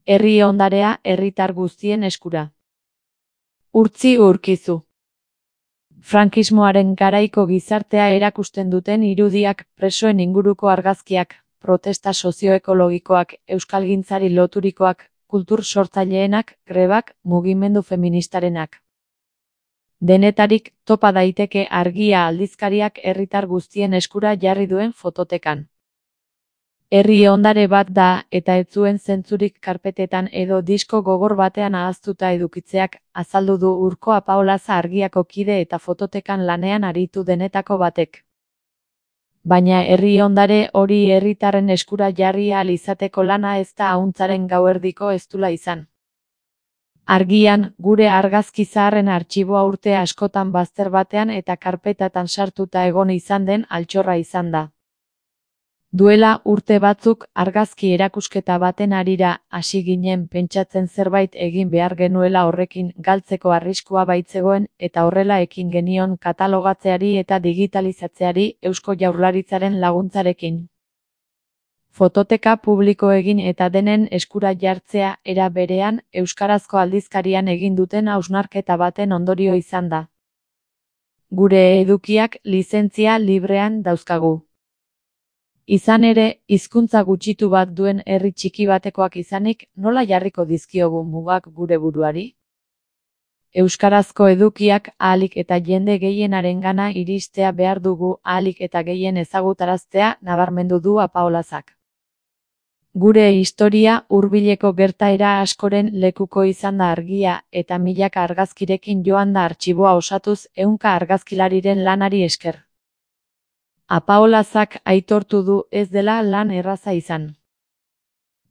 Herri ondarea herritar guztien eskura. Urtzi Urkizu. Frankismoaren garaiko gizartea erakusten duten irudiak, presoen inguruko argazkiak, protesta sozioekologikoak, euskalgintzari loturikoak, kultur sortzaileenak, grebak, mugimendu feministarenak. Denetarik topa daiteke Argia aldizkariak herritar guztien eskura jarri duen fototekan. Herri ondare bat da, eta ez zuen zentzurik karpetetan edo disko gogor batean ahaztuta edukitzeak, azaldu du Urko Apaolaza Argiako kide eta fototekan lanean aritu denetako batek. Baina herri ondare hori herritarren eskura jarri ahal izateko lana ez da ahuntzaren gauerdiko eztula izan. Argian, gure argazki zaharren artxiboa urte askotan bazter batean eta karpetatan sartuta egon izan den altxorra izan da. Duela urte batzuk argazki erakusketa baten harira hasi ginen pentsatzen zerbait egin behar genuela horrekin galtzeko arriskua baitzegoen eta horrela ekin genion katalogatzeari eta digitalizatzeari Eusko Jaurlaritzaren laguntzarekin. Fototeka publiko egin eta denen eskura jartzea era berean euskarazko aldizkarian egin duten hausnarketa baten ondorio izan da. Gure edukiak lizentzia librean dauzkagu. Izan ere, hizkuntza gutxitu bat duen herri txiki batekoak izanik, nola jarriko dizkiogu mugak gure buruari? Euskarazko edukiak ahalik eta jende gehienarengana iristea behar dugu ahalik eta gehien ezagutaraztea nabarmendu du Apaolazak. Gure historia hurbileko gertaera askoren lekuko izan da Argia eta milaka argazkirekin joan da artxiboa osatuz ehunka argazkilariren lanari esker. Apaolazak aitortu du ez dela lan erraza izan.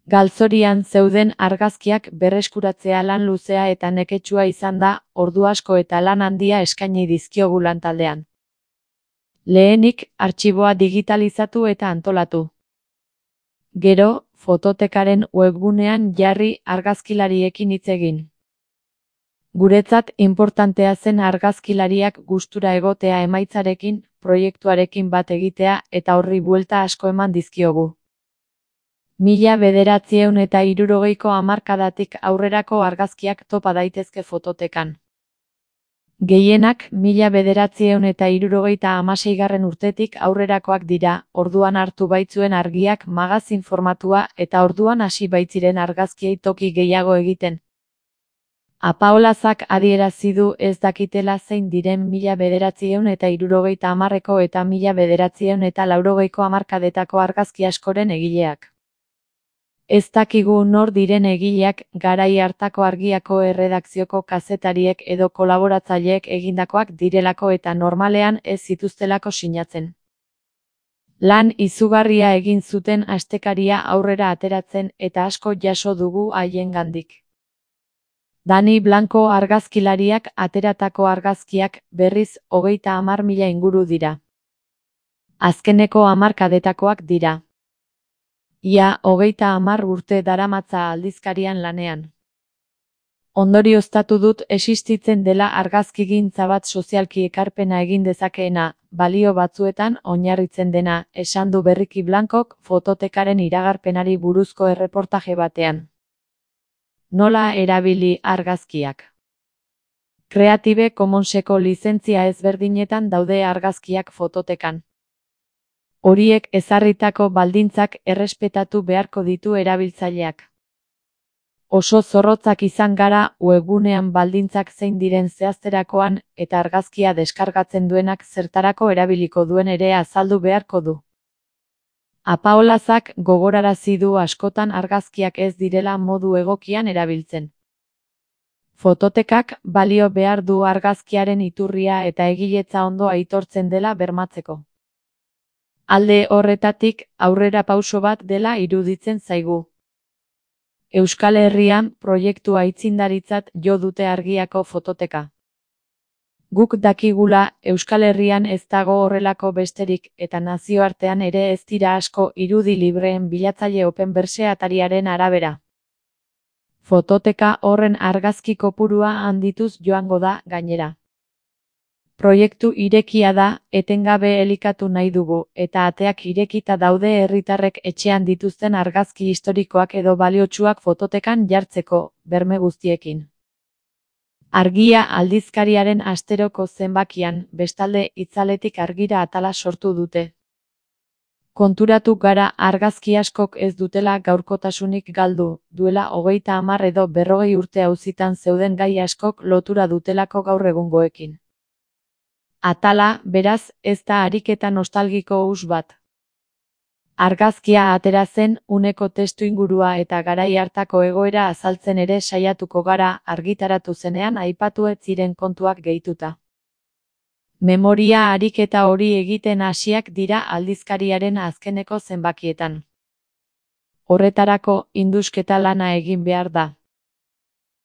Galzorian zeuden argazkiak berreskuratzea lan luzea eta neketsua izan da, ordu asko eta lan handia eskaini dizkiogu lantaldean. Lehenik, artxiboa digitalizatu eta antolatu. Gero, fototekaren webgunean jarri argazkilariekin hitz egin. Guretzat inportantea zen argazkilariak gustura egotea emaitzarekin, proiektuarekin bat egitea eta horri buelta asko eman dizkiogu. 1960ko hamarkadatik aurrerako argazkiak topa daitezke fototekan. Gehienak 1976 urtetik aurrerakoak dira, orduan hartu baitzuen Argiak magazin formatua eta orduan hasi baitziren argazkiei toki gehiago egiten. Apaolazak adierazi du ez dakitela zein diren 1970ko eta 1980ko hamarkadetako argazki askoren egileak. Ez dakigu nor diren egileak garai hartako Argiako erredakzioko kazetariek edo kolaboratzaileek egindakoak direlako eta normalean ez zituztelako sinatzen. Lan izugarria egin zuten astekaria aurrera ateratzen eta asko jaso dugu haiengandik. Dani Blanco argazkilariak ateratako argazkiak berriz 30.000 inguru dira. Azkeneko hamarkadetakoak dira. Ia 30 urte daramatza aldizkarian lanean. Ondorioztatu dut existitzen dela argazkigintza bat sozialki ekarpena egin dezakeena, balio batzuetan oinarritzen dena, esan du berriki Blancok fototekaren iragarpenari buruzko erreportaje batean. Nola erabili argazkiak? Creative Commonseko lizentzia ezberdinetan daude argazkiak fototekan. Horiek ezarritako baldintzak errespetatu beharko ditu erabiltzaileak. Oso zorrotzak izan gara webgunean baldintzak zein diren zehazterakoan eta argazkia deskargatzen duenak zertarako erabiliko duen ere azaldu beharko du. Apaolazak gogorarazi du askotan argazkiak ez direla modu egokian erabiltzen. Fototekak balio behar du argazkiaren iturria eta egiletza ondo aitortzen dela bermatzeko. Alde horretatik, aurrera pauso bat dela iruditzen zaigu. Euskal Herrian proiektu aitzindaritzat jo dute Argiako fototeka. Guk dakigula, Euskal Herrian ez dago horrelako besterik eta nazioartean ere ez dira asko irudi libreen bilatzaile Openverse atariaren arabera. Fototeka horren argazki kopurua handituz joango da gainera. Proiektu irekia da, etengabe elikatu nahi dugu, eta ateak irekita daude herritarrek etxean dituzten argazki historikoak edo baliotsuak fototekan jartzeko, berme guztiekin. Argia aldizkariaren asteroko zenbakian, bestalde itzaletik argira atala sortu dute. Konturatu gara argazki askok ez dutela gaurkotasunik galdu, duela 30 edo 40 urte auzitan zeuden gai askok lotura dutelako gaur egungoekin. Atala, beraz, ez da ariketa nostalgiko huts bat. Argazkia atera zen, uneko testuingurua eta garai hartako egoera azaltzen ere saiatuko gara, argitaratu zenean aipatu ez ziren kontuak gehituta. Memoria ariketa hori egiten hasiak dira aldizkariaren azkeneko zenbakietan. Horretarako, indusketa lana egin behar da.